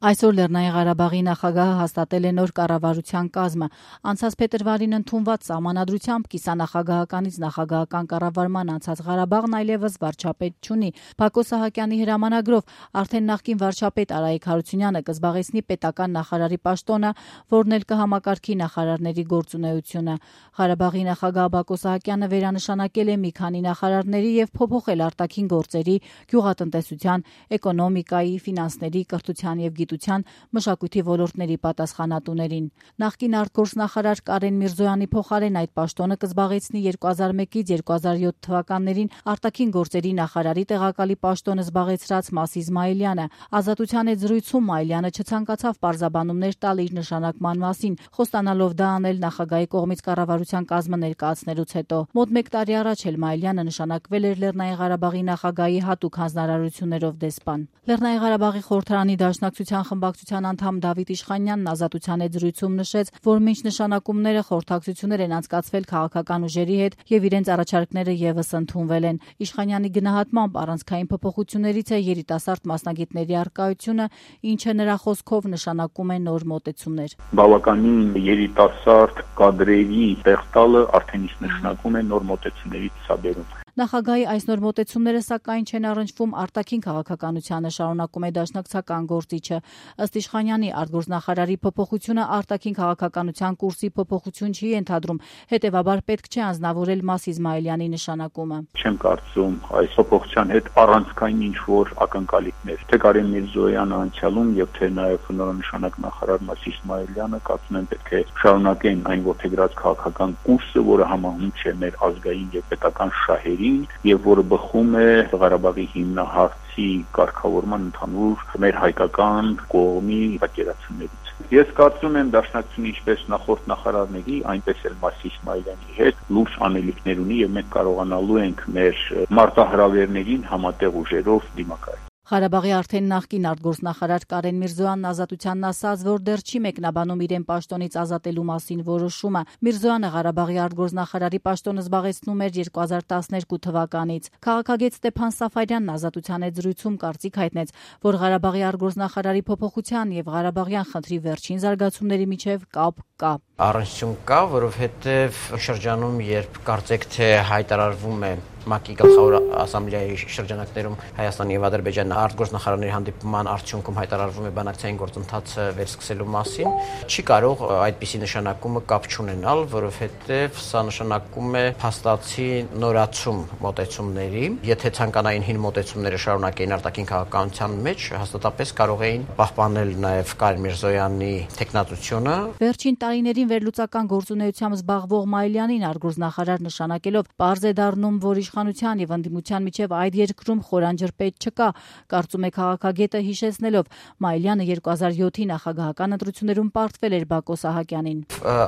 Այսօր Լեռնային Ղարաբաղի նախագահը հաստատել է նոր կառավարության կազմը։ Անցած փետրվարին ընդունված սահմանադրությամբ կիսանախագահականից նախագահական կառավարման անցած Ղարաբաղն այլևս վարչապետ չունի։ Բակո Սահակյանի հրամանագրով արդեն նախկին վարչապետ Արայիկ Հարությունյանը կզբաղեցնի պետական նախարարի պաշտոնը, որն էլ կհամակարգի նախարարների գործունեությունը։ Ղարաբաղի նախագահ Բակո Սահակյանը վերանշանակել է մի քանի նախարարների եւ փոփոխել արտաքին գործերի, գյուղատնտեսության, էկոնոմիկայի, ֆինանսների, կրթության եւ մշակույթի ոլորտների պատասխանատուներին։ Նախկին արտգործնախարար Կարեն Միրզոյանի փոխարեն այդ պաշտոնը կզբաղեցնի 2001-ից 2007 թվականներին արտաքին գործերի նախարարի տեղակալի պաշտոնը զբաղեցրած Մաս Իսմայելյանը։ Ազատության հետ զրույցում Մայլյանը չցանկացավ պարզաբանումներ տալ իր նշանակման մասին, խոստանալով դա անել նախագահի կողմից կառավարության կազմը ներկայացնելուց հետո։ Մոտ 1 տարի առաջ էլ Մայլյանը նշանակվել էր Լեռնային Ղարաբաղի նախագահի հատուկ հանձնարարություններով դեսպան։ Լեռնային Ղարաբաղի խորհրդարանի դաշնակցության խմբակցության անդամ Դավիթ Իշխանյանն Ազատության հետ զրույցում նշեց, որ մինչ նշանակումները խորհրդակցություններ են անցկացվել քաղաքական ուժերի հետ եւ իրենց առաջարկները եւս ընդունվել են։ Իշխանյանի գնահատմամբ առանցքային փոփոխություններից է երիտասարդ մասնագետների առկայությունը, ինչը նրա խոսքով նշանակում է նոր մոտեցումներ։ Բավականին երիտասարդ կադրերի տեղ տալը արդեն իսկ նշանակում է նոր մոտեցումների ցուցաբերում։ Նախագահի այս նոր մոտեցումները սակայն չեն առնչվում արտաքին քաղաքականությանը, շարունակում է դաշնակցական գործիչը։ Ըստ Իշխանյանի արտգործնախարարի փոփոխությունը արտաքին քաղաքականության կուրսի փոփոխություն չի ենթադրում, հետևաբար պետք չէ անձնավորել Մաս Իսմայելյանի նշանակումը։ Չեմ կարծում այս փոփոխության հետ առանցքային ինչ-որ ակնկալիքներ, թե Կարեն Միրզոյանը անցյալում եւ թե նաեւ նորանշանակ նախարար Մաս Իսմայելյանը կարծում եմ պետք է շարունակեն այն ողջագրած քաղաքական կուրսը, որը համահունչ է մեր ազգային եւ պետական շահերի եւ որը բխում է Ղարաբաղի հիմնահարցի կարգավորման ընդհանուր մեր հայկական կողմի պատկերացումներից։ Ես կարծում եմ դաշնակցությունը ինչպես նախորդ նախարարների, այնպես էլ Մաս Իսմայելյանի հետ լուրջ անելիքներ ունի եւ մենք կարողանալու ենք մեր մարտահրավերներին համատեղ ուժերով դիմակայել։ Ղարաբաղի արդեն նախկին արտգործնախարար Կարեն Միրզոյանն Ազատությանն ասաց, որ դեռ չի մեկնաբանում իրեն պաշտոնից ազատելու մասին որոշումը։ Միրզոյանը Ղարաբաղի արտգործնախարարի պաշտոնը զբաղեցնում էր 2012 թվականից։ Քաղաքագետ Ստեփան Սաֆարյանն Ազատության հետ զրույցում կարծիք հայտնեց, որ Ղարաբաղի արտգործնախարարի փոփոխության եւ Ղարաբաղյան խնդրի վերջին զարգացումների միջև կապ կա։ Առնչություն կա, որովհետեւ շրջանում, երբ կարծեք թե հայտարարվում է ՄԱԿ-ի գլխավոր ասամբլեայի շրջանակներում Հայաստանի եւ Ադրբեջանի արտգործնախարարների հանդիպման արդյունքում հայտարարվում է բանակցային գործընթացը վերսկսելու մասին, չի կարող այդպիսի նշանակումը կապ չունենալ, որովհետեւ սա նշանակում է փաստացի նորացում մոտեցումների։ Եթե ցանկանային հին մոտեցումները շարունակեին արտաքին քաղաքականության մեջ, հաստատապես կարող էին պահպանել նաեւ Կարեն Միրզոյանի տեխնատությունը։ Վերջին տարիներին վերլուծական գործունեությամբ զբաղվող Մայլյանին արտգործնախարար նշանակելով պարզ է դառնում, որ իշխանության եւ ընդդիմության միջև այդ երկրում խորանջրպետ չկա, կարծում է քաղաքագետը հիշեցնելով Մայլյանը 2007-ի նախագահական ընտրություններում պարտվել էր Բակո Սահակյանին։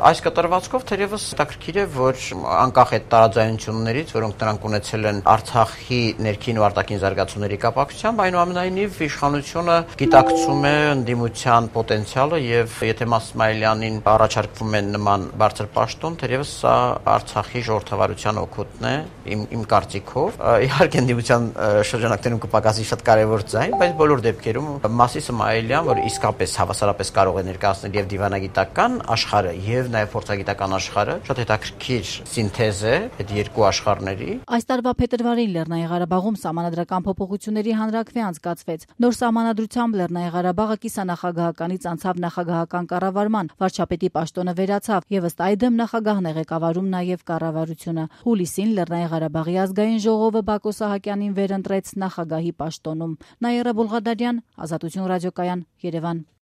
Այս կատարվածքով թերևս հետաքրքիր է, որ անկախ այդ տարաձայնություններից, որոնք նրանք ունեցել են Արցախի ներքին ու արտաքին զարգացումների կապակցությամբ, այնուամենայնիվ իշխանությունը գիտակցում է ընդդիմության պոտենցիալը եւ եթե Մաս Իսմայելյանին առաջարկվում է նման բարձր պաշտոն, թերևս սա Արցախի ժողովրդավարության օգուտն է իմ կարծիքով։ Իհարկե ընդդիմության շրջանակներում կպակասի շատ կարևոր ձայն, բայց բոլոր դեպքերում Մաս Իսմայելյան, որ իսկապես հավասարապես կարող է ներկայացնել եւ դիվանագիտական աշխարհը եւ նաեւ փորձագիտական աշխարհը, շատ հետաքրքիր սինթեզ է այդ երկու աշխարհների։ Այս տարվա փետրվարին Լեռնային Ղարաբաղում սահմանադրական փոփոխությունների հանրաքվե անցկացվեց։ Նոր սահմանադրությամբ Լեռնային Ղարաբաղը կիսանախագահականից անցավ նախագահական կառավարման, վարչապետի պաշտոնը վերացավ եւ ըստ այդմ նախագահն է ղեկավարում նաեւ կառավարությունը։ Հուլիսին Լեռնային Ղարաբաղի ազգային ժողովը Բակո Սահակյանին վերընտրեց նախագահի պաշտոնում։ Նաիրա Բոլղադարյան, Ազատություն ռադիոկայան, Երևան։